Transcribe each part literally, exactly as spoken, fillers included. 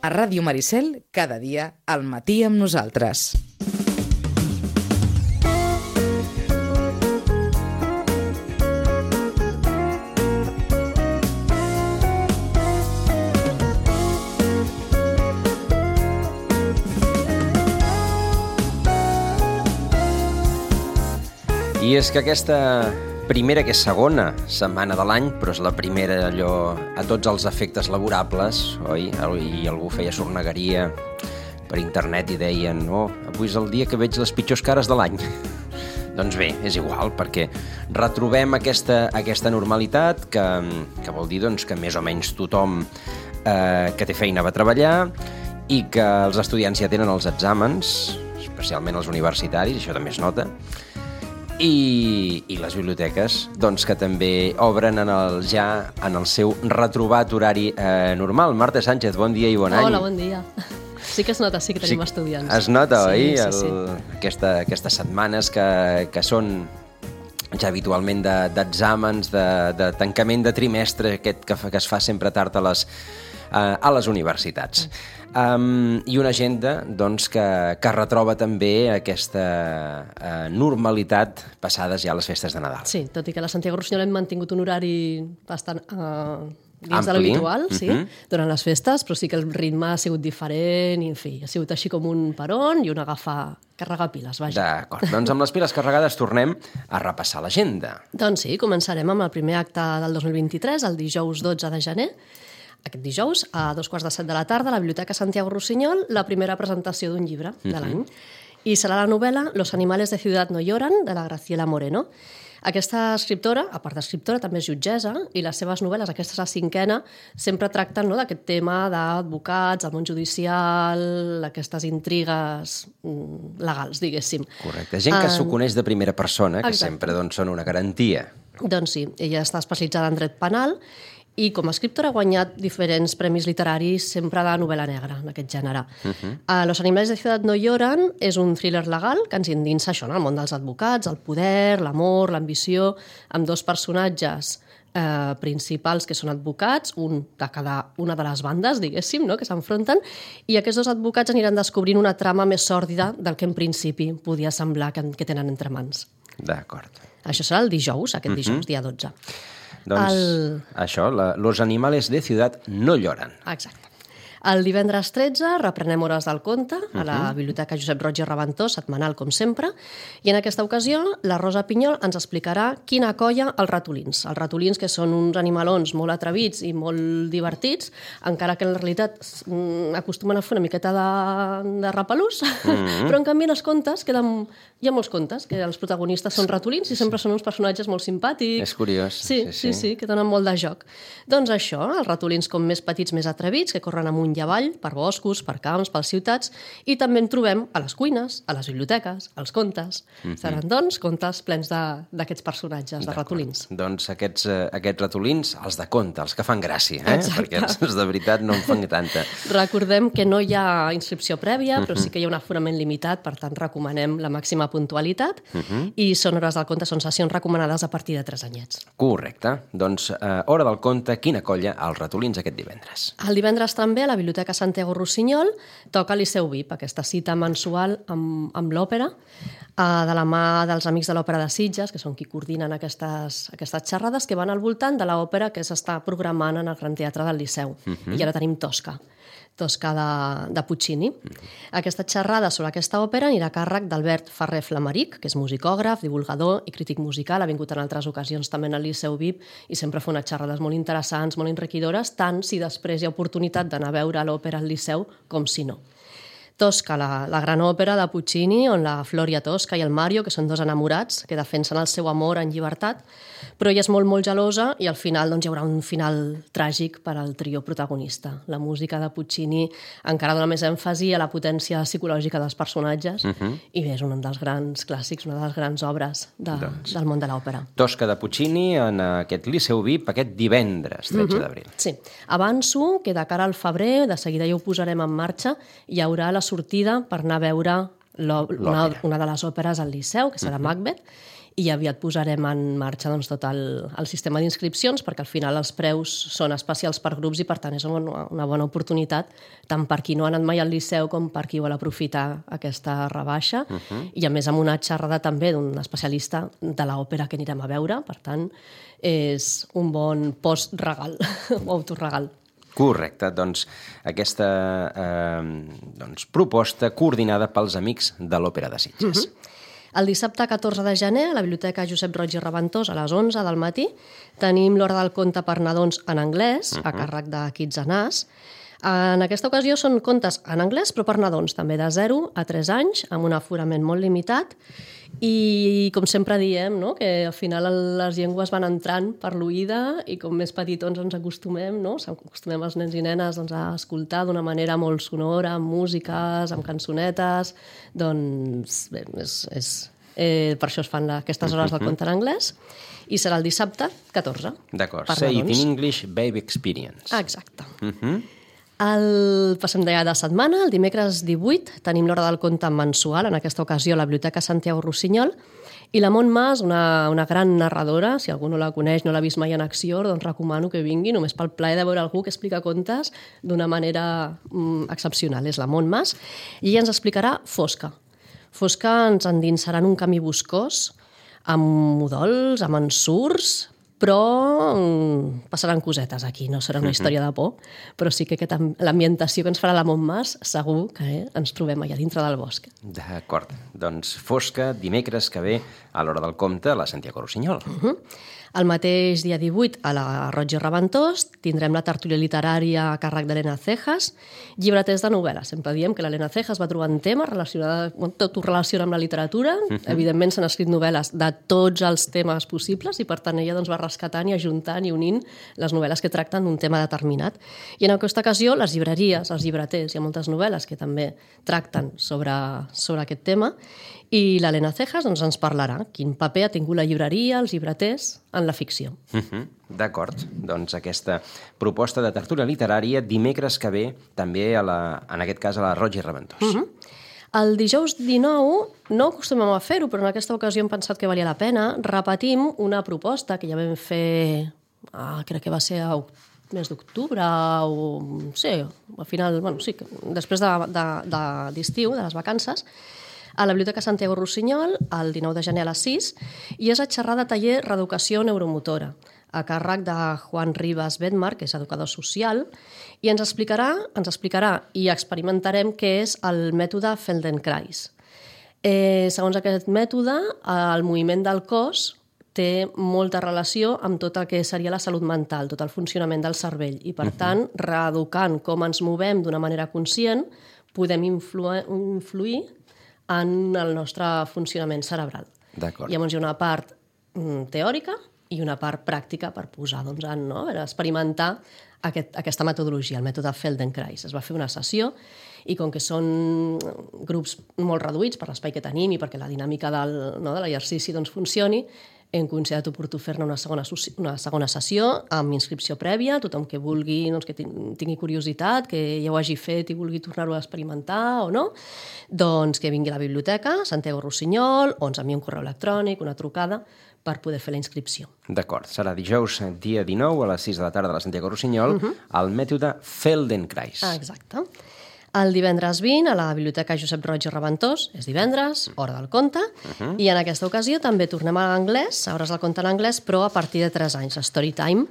A Ràdio Maricel, cada dia, al matí amb nosaltres. I és que aquesta primera, que és segona setmana de l'any, però és la primera allò a tots els efectes laborables, oi? I algú feia sornegueria per internet i deien no, avui és el dia que veig les pitjors cares de l'any. Doncs bé, és igual, perquè retrobem aquesta, aquesta normalitat que, que vol dir doncs, que més o menys tothom eh, que té feina va treballar i que els estudiants ja tenen els exàmens, especialment els universitaris, això també es nota, I, i les biblioteques doncs, que també obren en el, ja en el seu retrobat horari eh, normal. Marta Sánchez, bon dia i bon any. Hola, bon dia. Sí que es nota, sí que tenim sí, estudiants. Es nota, sí, oi? Sí, el, sí. Aquesta, aquestes setmanes que, que són ja habitualment d'exàmens, de, de, de tancament de trimestre, aquest que, que es fa sempre tard a les, a les universitats. Mm. Um, I una agenda doncs, que, que retroba també aquesta uh, normalitat passades ja les festes de Nadal. Sí, tot i que a la Santiago Rossinyol hem mantingut un horari bastant uh, dins Ampli. de l'habitual, sí, uh-huh. durant les festes, però sí que el ritme ha sigut diferent i, en fi, ha sigut així com un peron i un agafar, carregar piles, vaja. D'acord, doncs amb les piles carregades tornem a repassar l'agenda. Doncs sí, començarem amb el primer acte del dos mil vint-i-tres, el dijous dotze de gener. Aquest dijous, a dos quarts de set de la tarda, a la Biblioteca Santiago Rossinyol, la primera presentació d'un llibre de l'any. I serà la novel·la Los animales de ciudad no lloran, de la Graciela Moreno. Aquesta escriptora, a part d'escriptora, també és jutgessa, i les seves novel·les, aquesta és la cinquena, sempre tracten no, d'aquest tema d'advocats, el món judicial, aquestes intrigues legals, diguéssim. Correcte. Gent que s'ho coneix de primera persona, que Exacte. sempre doncs, són una garantia. Doncs sí, ella està especialitzada en dret penal, i com a escriptora ha guanyat diferents premis literaris sempre de novel·la negra, en aquest gènere. Uh-huh. uh, Los animales de ciudad no lloran és un thriller legal que ens endinsa això, en el món dels advocats, el poder, l'amor, l'ambició, amb dos personatges eh, principals que són advocats, un de cada una de les bandes, diguéssim, no?, que s'enfronten, i aquests dos advocats aniran descobrint una trama més sòrdida del que en principi podia semblar que, que tenen entre mans. D'acord. Això serà el dijous, aquest dijous, uh-huh. dia dotze. Doncs el... això, la, los animales de ciudad no lloran. Exacte. El divendres tretze reprenem Hores del conte a la uh-huh. Biblioteca Josep Roig i Reventós, setmanal com sempre, i en aquesta ocasió la Rosa Pinyol ens explicarà quina colla els ratolins. Els ratolins, que són uns animalons molt atrevits i molt divertits, encara que en realitat acostumen a fer una miqueta de, de repelús, uh-huh. però en canvi en els contes queden... Hi ha molts contes que els protagonistes són ratolins i sempre són uns personatges molt simpàtics. És curiós. Sí, sí, sí, sí, que donen molt de joc. Doncs això, els ratolins com més petits, més atrevits, que corren amunt i avall, per boscos, per camps, per ciutats, i també en trobem a les cuines, a les biblioteques, als contes. Mm-hmm. Seran, doncs, contes plens d'aquests personatges, de ratolins. Doncs aquests, eh, aquests ratolins, els de conte, els que fan gràcia, eh? Exacte. Perquè els, els de veritat no en fan tanta. Recordem que no hi ha inscripció prèvia, però sí que hi ha un aforament limitat, per tant recomanem la màxima puntualitat, uh-huh. i són hores del conte, són sessions recomanades a partir de tres anyets. Correcte. Doncs eh, hora del conte, quina colla, els ratolins aquest divendres. El divendres també a la Biblioteca Santiago Rossinyol toca Liceu V I P, aquesta cita mensual amb, amb l'òpera, eh, de la mà dels Amics de l'Òpera de Sitges, que són qui coordinen aquestes, aquestes xerrades, que van al voltant de l'òpera que s'està programant en el Gran Teatre del Liceu. Uh-huh. I ara tenim Tosca. Tosca de, de Puccini. Aquesta xerrada sobre aquesta òpera anirà a càrrec d'Albert Ferrer Flamaric, que és musicògraf, divulgador i crític musical, ha vingut en altres ocasions també al Liceu V I P i sempre fa unes xerrades molt interessants, molt enriquidores, tant si després hi ha oportunitat d'anar a veure l'òpera al Liceu com si no. Tosca, la, la gran òpera de Puccini, on la Floria Tosca i el Mario, que són dos enamorats, que defensen el seu amor en llibertat, però ella és molt, molt gelosa i al final doncs, hi haurà un final tràgic per al trio protagonista. La música de Puccini encara dona més èmfasi a la potència psicològica dels personatges uh-huh. i bé, és un dels grans clàssics, una de les grans obres de, doncs, del món de l'òpera. Tosca de Puccini en aquest Liceu V I P aquest divendres, tretze uh-huh. d'abril. Sí. Avanço que de cara al febrer, de seguida ja ho posarem en marxa, hi haurà la sortida per anar a veure una, una de les òperes al Liceu, que serà uh-huh. Macbeth, i aviat posarem en marxa doncs, tot el, el sistema d'inscripcions, perquè al final els preus són especials per grups i per tant és una, una bona oportunitat tant per qui no ha anat mai al Liceu com per qui vol aprofitar aquesta rebaixa uh -huh. i a més amb una xerrada també d'un especialista de l'òpera que anirem a veure, per tant és un bon post-regal o autoregal. Correcte, doncs aquesta eh, doncs, proposta coordinada pels amics de l'Òpera de Sitges. Uh-huh. El dissabte catorze de gener, a la Biblioteca Josep Roig i Reventós, a les onze del matí, tenim l'Hora del Conte per nadons en anglès, uh-huh. a càrrec de Kids and Us. En aquesta ocasió són contes en anglès, però per nadons, també de zero a tres anys, amb un aforament molt limitat. I, com sempre diem, no? que al final les llengües van entrant per l'oïda i com més petitons ens acostumem, no? Acostumem els nens i nenes doncs, a escoltar d'una manera molt sonora, amb músiques, amb cançonetes. Doncs bé, és, és, eh, per això es fan aquestes hores del conte en anglès. I serà el dissabte catorze. D'acord. Say it in English, Baby Experience. Exacte. Uh-huh. El passem de de setmana, el dimecres divuit, tenim l'Hora del Conte mensual, en aquesta ocasió a la Biblioteca Santiago Rossinyol, i la Mont Mas, una, una gran narradora, si algú no la coneix, no l'ha vist mai en acció, doncs recomano que vingui, només pel plaer de veure algú que explica contes d'una manera mm, excepcional. És la Mont Mas, i ella ens explicarà Fosca. Fosca ens endinsarà en un camí boscós, amb mudols, amb ensurts, però passaran cosetes aquí, no serà una història de por, però sí que aquesta, l'ambientació que ens farà la Montmas segur que eh, ens trobem allà dintre del bosc. D'acord, doncs Fosca, dimecres que ve a l'Hora del Conte a la Santiago Rossinyol. Uh -huh. El mateix dia divuit, a la Roig i Reventós, tindrem la tertúlia literària a càrrec d'Helena Cejas, llibreters de novel·la. Sempre diem que l'Helena Cejas va trobar un tema relacionat, tot ho relaciona amb la literatura. Uh-huh. Evidentment s'han escrit novel·les de tots els temes possibles i per tant ella doncs, va rescatant i ajuntant i unint les novel·les que tracten d'un tema determinat. I en aquesta ocasió les llibreries, els llibreters, hi ha moltes novel·les que també tracten sobre, sobre aquest tema. I l'Helena Cejas doncs, ens parlarà quin paper ha tingut la llibreria, els llibreters, en la ficció. Uh -huh. D'acord. Doncs aquesta proposta de tertúlia literària dimecres que ve també, a la, en aquest cas, a la Roig i Reventós. Uh -huh. El dijous dinou no acostumem a fer-ho, però en aquesta ocasió hem pensat que valia la pena. Repetim una proposta que ja vam fer, ah, crec que va ser a mes d'octubre o... sí, al final, bueno, sí, després de, de, de, d'estiu, de les vacances, a la Biblioteca Santiago Rossinyol, el dinou de gener a les sis, i és a xerrar de taller Reeducació Neuromotora, a càrrec de Juan Rivas Bedmar, que és educador social, i ens explicarà, ens explicarà i experimentarem què és el mètode Feldenkrais. Eh, segons aquest mètode, el moviment del cos té molta relació amb tot el que seria la salut mental, tot el funcionament del cervell, i per tant, reeducant com ens movem d'una manera conscient, podem influir, influir en el nostre funcionament cerebral. D'acord. Llavors hi ha una part mm, teòrica i una part pràctica per posar, doncs, en, no? a experimentar aquest, aquesta metodologia, el mètode Feldenkrais. Es va fer una sessió i com que són grups molt reduïts per l'espai que tenim i perquè la dinàmica del, no, de l'exercici doncs, funcioni, hem considerat oportú fer-ne una, segona, una segona sessió amb inscripció prèvia, tothom que vulgui, doncs, que tingui curiositat, que ja ho hagi fet i vulgui tornar-ho a experimentar o no, doncs que vingui a la biblioteca, Santiago Rossinyol, o ens enviï un correu electrònic, una trucada, per poder fer la inscripció. D'acord. Serà dijous, dia dinou, a les sis de la tarda a la Santiago Rossinyol, uh-huh. el mètode Feldenkrais. Ah, exacte. El divendres vint, a la Biblioteca Josep Roig i Reventós, és divendres, hora del conte, uh-huh. i en aquesta ocasió també tornem a l'anglès, a hores del conte en anglès, però a partir de tres anys, Story Time.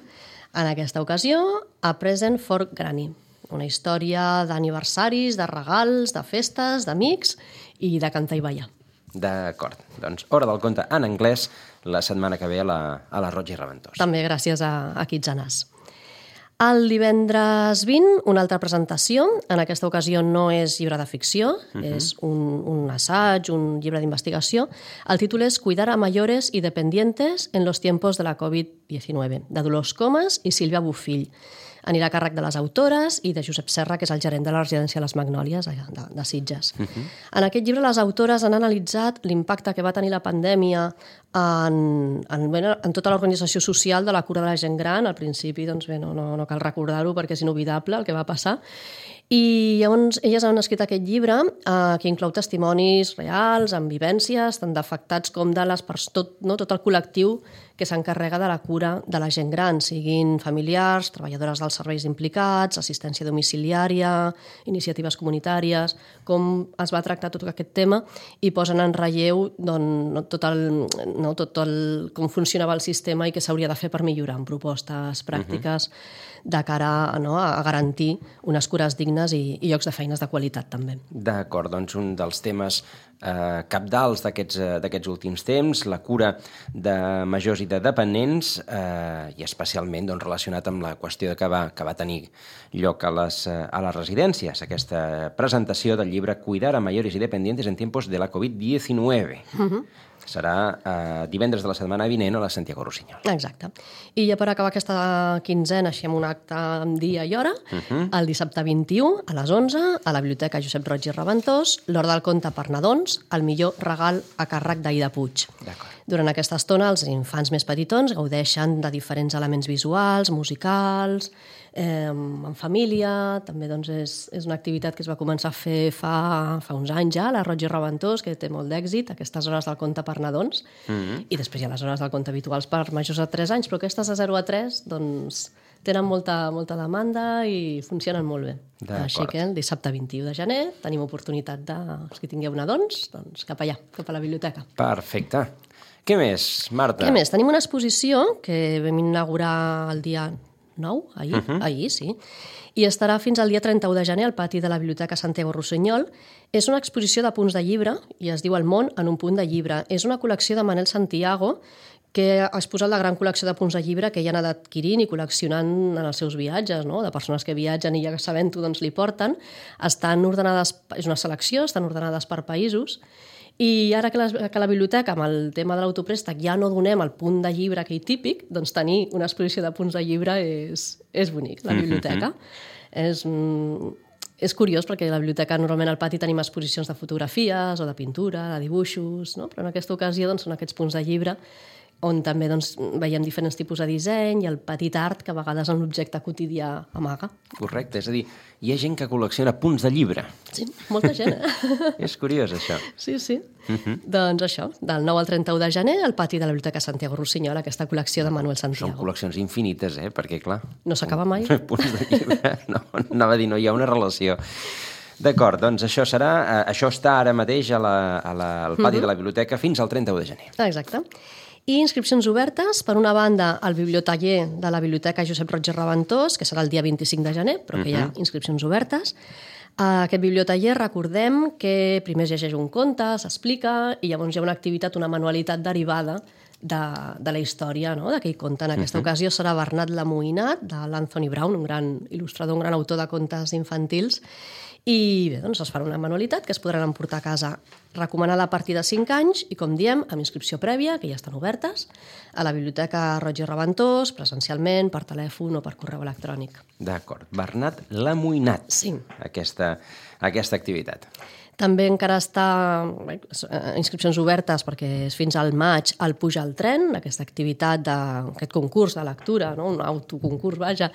En aquesta ocasió, A Present for Granny, una història d'aniversaris, de regals, de festes, d'amics i de cantar i ballar. D'acord. Doncs hora del conte en anglès la setmana que ve a la, a la Roig i Reventós. També gràcies a, a Kids and Us. El divendres vint, una altra presentació. En aquesta ocasió no és llibre de ficció, uh-huh. és un, un assaig, un llibre d'investigació. El títol és Cuidar a mayores y dependientes en los tiempos de la covid diecinueve, de Dolors Comas i Sílvia Bofill. Anirà a càrrec de les autores i de Josep Serra, que és el gerent de la residència Les Magnòlies de, de Sitges. Uh-huh. En aquest llibre les autores han analitzat l'impacte que va tenir la pandèmia en, en, bé, en tota l'organització social de la cura de la gent gran. Al principi, doncs bé, no, no, no cal recordar-ho perquè és inolvidable el que va passar. I llavors elles han escrit aquest llibre eh, que inclou testimonis reals, amb vivències, tant d'afectats com de les persones, tot, no, tot el col·lectiu que s'encarrega de la cura de la gent gran, siguin familiars, treballadores dels serveis implicats, assistència domiciliària, iniciatives comunitàries, com es va tractar tot aquest tema i posen en relleu doncs, tot el, no, tot el, com funcionava el sistema i què s'hauria de fer per millorar, amb propostes pràctiques uh-huh. de cara no, a garantir unes cures dignes i, i llocs de feines de qualitat també. D'acord, doncs un dels temes eh, cabdals d'aquests eh, d'aquests últims temps, la cura de majors i de dependents eh, i especialment doncs, relacionat amb la qüestió que va, que va tenir lloc a les, a les residències, aquesta presentació del llibre Cuidar a mayores y dependientes en tiempos de la covid diecinueve. Uh-huh. Serà eh, divendres de la setmana vinent a la Santiago Rossinyol. Exacte. I ja per acabar aquesta quinzena, així amb un acte amb dia i hora, uh-huh. el dissabte vint-i-u a les onze, a la Biblioteca Josep Roig i Reventós, l'Hora del Conte per nadons, el millor regal a càrrec d'Aida Puig. D'acord. Durant aquesta estona, els infants més petitons gaudeixen de diferents elements visuals, musicals, eh, en família. També doncs, és, és una activitat que es va començar a fer fa, fa uns anys ja, a la Roig i Reventós, que té molt d'èxit, aquestes hores del conte per nadons, mm-hmm. i després hi ha les hores del conte habituals per majors de tres anys, però aquestes de zero a tres doncs, tenen molta, molta demanda i funcionen molt bé. Així que el dissabte vint-i-u de gener tenim oportunitat de, els que tingueu nadons, doncs cap allà, cap a la biblioteca. Perfecte. Què més, Marta? Què més? Tenim una exposició que vam inaugurar el dia nou, ahir, uh-huh. ahir, sí, i estarà fins al dia trenta-u de gener al pati de la Biblioteca Santiago Rossinyol. És una exposició de punts de llibre i es diu El món en un punt de llibre. És una col·lecció de Manel Santiago que ha exposat la gran col·lecció de punts de llibre que ella ha anat adquirint i col·leccionant en els seus viatges, no? De persones que viatgen i ja sabent-ho doncs li porten. Estan ordenades, és una selecció, estan ordenades per països. I ara que la, que la biblioteca, amb el tema de l'autoprèstec, ja no donem el punt de llibre aquell típic, doncs tenir una exposició de punts de llibre és, és bonic, la biblioteca. Mm-hmm. És, és curiós perquè a la biblioteca normalment al pati tenim exposicions de fotografies o de pintura, de dibuixos, no? Però en aquesta ocasió doncs, són aquests punts de llibre on també doncs, veiem diferents tipus de disseny i el petit art que a vegades en l'objecte quotidià amaga. Correcte, és a dir, hi ha gent que col·lecciona punts de llibre. Sí, molta gent, eh? És curiós, això. Sí, sí. Uh-huh. Doncs això, del nou al trenta-u de gener, al pati de la Biblioteca Santiago Rossinyol, aquesta col·lecció de Manuel Santiago. Són col·leccions infinites, eh? Perquè, clar... No s'acaba mai. Punts de llibre, no, anava a dir, no hi ha una relació. D'acord, doncs això serà... Eh, això està ara mateix a la, a la, al pati uh-huh. de la biblioteca fins al trenta-u de gener. Exacte. I inscripcions obertes, per una banda, al bibliotaller de la Biblioteca Josep Roig i Reventós, que serà el dia vint-i-cinc de gener, però que uh-huh. hi ha inscripcions obertes. Aquest bibliotaller, recordem que primer es llegeix un conte, s'explica, i llavors hi ha una activitat, una manualitat derivada de, de la història no? d'aquell conte. En aquesta uh-huh. ocasió serà Bernat l'Amoïnat, de l'Anthony Brown, un gran il·lustrador, un gran autor de contes infantils, i bé, doncs es farà una manualitat que es podran emportar a casa, recomanada a partir de cinc anys i, com diem, amb inscripció prèvia, que ja estan obertes, a la Biblioteca Roig i Reventós, presencialment, per telèfon o per correu electrònic. D'acord. Bernat l'Amoïnat. Sí. Aquesta, aquesta activitat. També encara està bé, inscripcions obertes perquè és fins al maig al Puja al tren, aquesta activitat d'aquest concurs de lectura, no? Un autoconcurs, vaja,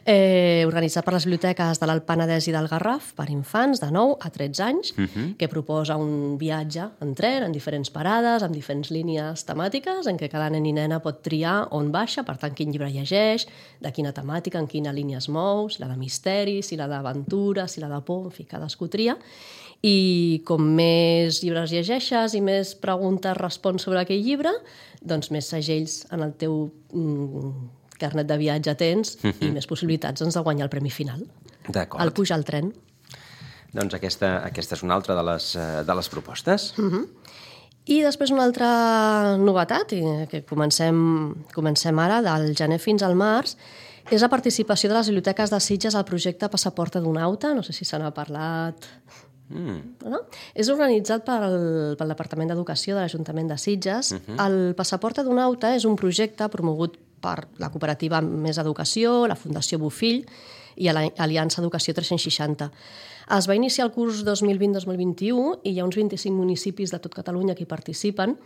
eh, organitzat per les biblioteques de l'Alt Penedès i del Garraf per infants de nou a tretze anys, uh-huh. que proposa un viatge en tren, en diferents parades, amb diferents línies temàtiques, en què cada nen i nena pot triar on baixa, per tant, quin llibre llegeix, de quina temàtica, en quina línia es mou, si la de misteri, si la d'aventura, si la de por, en fi, cadascú tria. I com més llibres llegeixes i més preguntes respons sobre aquell llibre, doncs més segells en el teu mm, carnet de viatge tens uh-huh. i més possibilitats doncs, de guanyar el premi final. D'acord. El Puja al tren. Doncs aquesta, aquesta és una altra de les, de les propostes. Uh-huh. I després una altra novetat, que comencem, comencem ara, del gener fins al març, és la participació de les biblioteques de Sitges al projecte Passaport Adonauta. No sé si se n'ha parlat... Mm. No? És organitzat pel, pel Departament d'Educació de l'Ajuntament de Sitges. Uh-huh. El Passaport Adonauta és un projecte promogut per la cooperativa Més Educació, la Fundació Bofill i l'Aliança Educació tres-cents seixanta. Es va iniciar el curs dos mil vint dos mil vint-i-u i hi ha uns vint-i-cinc municipis de tot Catalunya que hi participen.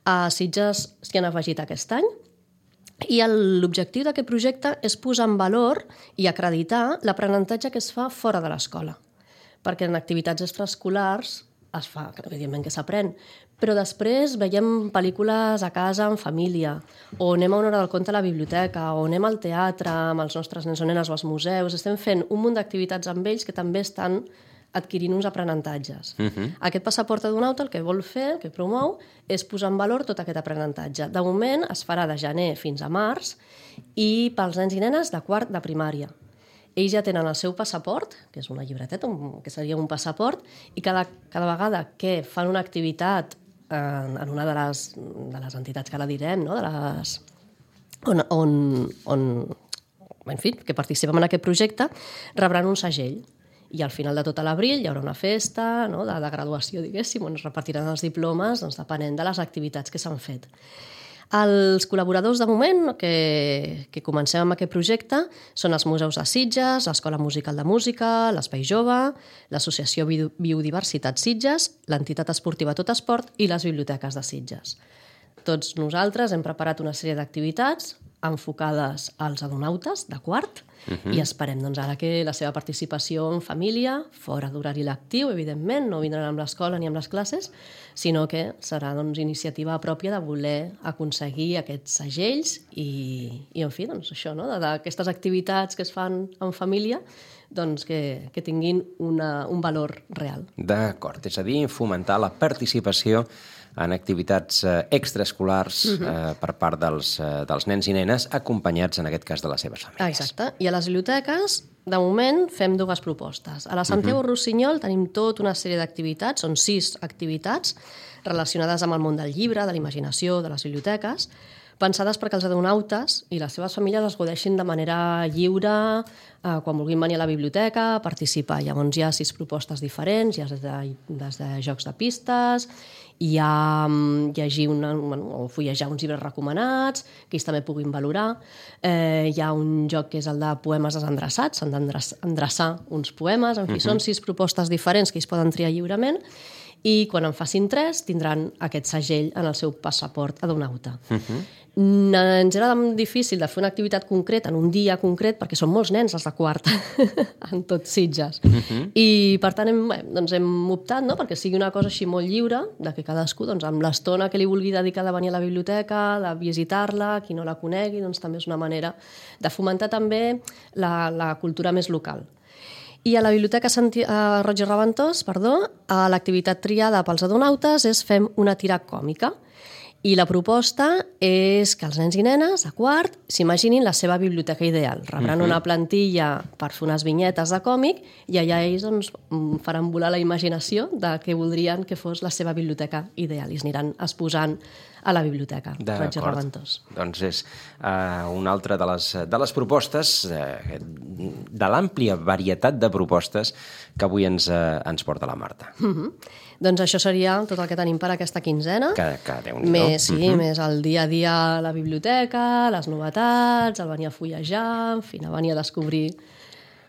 A Sitges s'hi han afegit aquest any i l'objectiu d'aquest projecte és posar en valor i acreditar l'aprenentatge que es fa fora de l'escola. Perquè en activitats extraescolars es fa, evidentment que s'aprèn, però després veiem pel·lícules a casa en família, o anem a una hora del conte a la biblioteca, o anem al teatre amb els nostres nens o nenes o als museus. Estem fent un munt d'activitats amb ells que també estan adquirint uns aprenentatges. Uh-huh. Aquest passaport adonauta el que vol fer, el que promou, és posar en valor tot aquest aprenentatge. De moment es farà de gener fins a març i pels nens i nenes de quart de primària. Ells ja tenen el seu passaport, que és una llibreteta, que seria un passaport, i cada, cada vegada que fan una activitat en, en una de les, de les entitats que ara direm, no? de les, on, on, on, en fi, que participen en aquest projecte, rebran un segell. I al final de tot l'abril hi haurà una festa, no? de, de graduació, diguéssim, on es repartiran els diplomes, doncs, depenent de les activitats que s'han fet. Els col·laboradors de moment que, que comencem amb aquest projecte són els museus de Sitges, l'Escola Musical de Música, l'Espai Jove, l'Associació Biodiversitat Sitges, l'Entitat Esportiva Tot Esport i les biblioteques de Sitges. Tots nosaltres hem preparat una sèrie d'activitats enfocades als adonautes de quart uh-huh. i esperem doncs, ara que la seva participació en família, fora d'horari lectiu, evidentment, no vindran amb l'escola ni amb les classes, sinó que serà doncs, iniciativa pròpia de voler aconseguir aquests segells i, i en fi, doncs, això, no? d'aquestes activitats que es fan en família, doncs, que, que tinguin una, un valor real. D'acord, és a dir, fomentar la participació en activitats eh, extraescolars uh-huh. eh, per part dels, eh, dels nens i nenes acompanyats, en aquest cas, de les seves famílies. Exacte. I a les biblioteques, de moment, fem dues propostes. A la Santiago uh-huh. Rossinyol tenim tota una sèrie d'activitats, són sis activitats relacionades amb el món del llibre, de la imaginació, de les biblioteques, pensades perquè els adonautes i les seves famílies es godeixin de manera lliure eh, quan vulguin venir a la biblioteca, participar. Llavors hi ha sis propostes diferents, hi ha des de, des de jocs de pistes, hi ha llegir una, o fullejar uns llibres recomanats, que ells també puguin valorar. Eh, hi ha un joc que és el de poemes desendreçats, s'han d'endreçar uns poemes, en fi, uh-huh. són sis propostes diferents que ells poden triar lliurement, i quan en facin tres tindran aquest segell en el seu passaport adonauta. Uh-huh. Ens era difícil de fer una activitat concreta en un dia concret perquè són molts nens els de quart en tot Sitges. Uh-huh. I per tant hem, bé, doncs hem optat, no? perquè sigui una cosa així molt lliure, de que cadascú doncs, amb l'estona que li vulgui dedicar de venir a la biblioteca, de visitar-la, qui no la conegui, doncs també és una manera de fomentar també la, la cultura més local. I a la Biblioteca Santi... a Roig i Reventós, perdó, l'activitat triada pels adonautes és fem una tira còmica. I la proposta és que els nens i nenes, a quart, s'imaginin la seva biblioteca ideal. Rebran uh-huh. una plantilla per fer unes vinyetes de còmic i allà ells doncs, faran volar la imaginació de què voldrien que fos la seva biblioteca ideal i es aniran exposant a la biblioteca Roig i Reventós. Doncs és uh, una altra de les, de les propostes, uh, de l'àmplia varietat de propostes que avui ens, uh, ens porta la Marta. Uh-huh. Doncs això seria tot el que tenim per aquesta quinzena. Que, que Déu-n'hi-do. Més, sí, uh-huh. més el dia a dia a la biblioteca, les novetats, el venir a fullejar, en fi, a venir a descobrir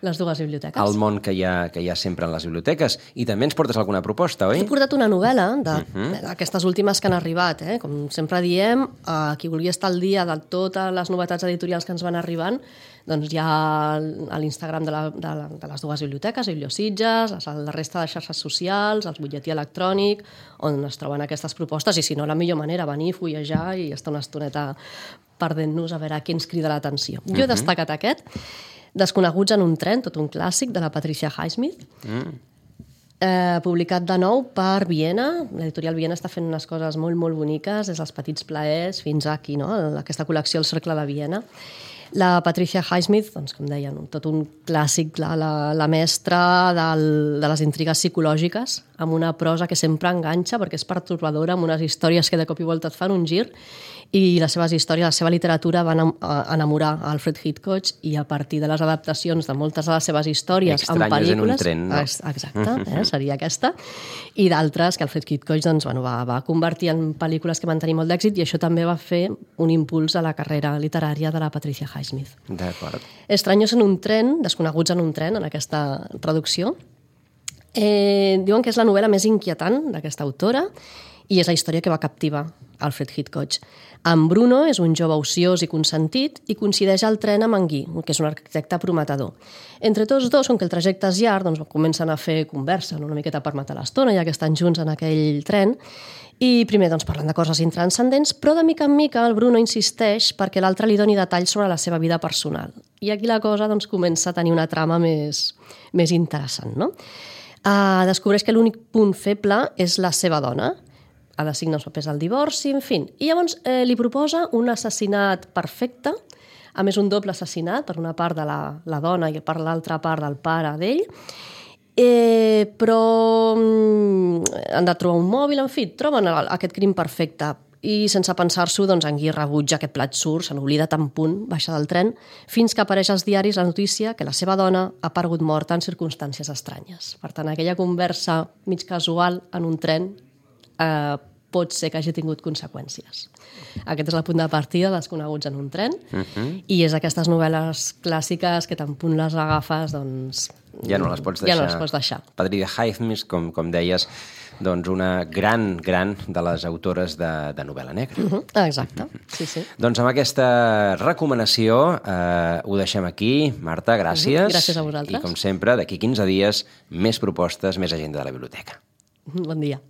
les dues biblioteques. El món que hi ha, que hi ha sempre en les biblioteques. I també ens portes alguna proposta, oi? He portat una novel·la d'aquestes uh-huh. últimes que han arribat. Eh? Com sempre diem, a qui vulgui estar al dia de totes les novetats editorials que ens van arribant, doncs hi ha a l'Instagram de, la, de, la, de les dues biblioteques, Bibliositges, la resta de xarxes socials, el butlletí electrònic, on es troben aquestes propostes, i si no, la millor manera, venir, fullejar i estar una estoneta perdent-nos a veure què ens crida l'atenció. Uh-huh. Jo he destacat aquest, Desconeguts en un tren, tot un clàssic, de la Patricia Highsmith, mm. eh, publicat de nou per Viena. L'editorial Viena està fent unes coses molt, molt boniques, des dels petits plaers fins aquí, no? Aquesta col·lecció El Cercle de Viena. La Patricia Highsmith, doncs, com deien, tot un clàssic, la, la, la mestra del, de les intrigues psicològiques, amb una prosa que sempre enganxa, perquè és pertorbadora, amb unes històries que de cop i volta et fan un gir, i les seves històries, la seva literatura va enamorar a Alfred Hitchcock, i a partir de les adaptacions de moltes de les seves històries en pel·lícules... en un tren, no? Exacte, eh, seria aquesta. I d'altres que Alfred Hitchcock doncs, bueno, va, va convertir en pel·lícules que van tenir molt d'èxit, i això també va fer un impuls a la carrera literària de la Patricia Highsmith. D'acord. Estranyos en un tren, desconeguts en un tren, en aquesta traducció. Eh, diuen que és la novel·la més inquietant d'aquesta autora, i és la història que va captivar Alfred Hitchcock. En Bruno és un jove ociós i consentit i coincideix al tren amb en Guy, que és un arquitecte prometedor. Entre tots dos, com que el trajecte és llarg, doncs comencen a fer conversa, una miqueta per matar l'estona, ja que estan junts en aquell tren, i primer doncs, parlen de coses intranscendents, però de mica en mica el Bruno insisteix perquè l'altre li doni detalls sobre la seva vida personal. I aquí la cosa doncs, comença a tenir una trama més, més interessant. No? Uh, descobreix que l'únic punt feble és la seva dona, ha de signar els papers del divorci, en fi. I llavors eh, li proposa un assassinat perfecte, a més un doble assassinat, per una part de la, la dona i per l'altra part del pare d'ell, eh, però mm, han de trobar un mòbil, en fi, troben aquest crim perfecte i sense pensar-s'ho, doncs, en Guy rebutja aquest plat surt, se n'oblida tan punt, baixa del tren, fins que apareix als diaris la notícia que la seva dona ha aparegut morta en circumstàncies estranyes. Per tant, aquella conversa mig casual en un tren eh, pot ser que hagi tingut conseqüències. Aquest és el punt de partida dels coneguts en un tren, uh-huh. i és aquestes novel·les clàssiques que tan punt les agafes, doncs... Ja no les pots deixar. Ja no les pots deixar. Padrí de Highsmith, com, com deies, doncs una gran, gran de les autores de, de novel·la negra. Uh-huh. Exacte, uh-huh. sí, sí. Doncs amb aquesta recomanació eh, ho deixem aquí. Marta, gràcies. Uh-huh. Gràcies a vosaltres. I com sempre, d'aquí quinze dies, més propostes, més agenda de la biblioteca. Bon dia.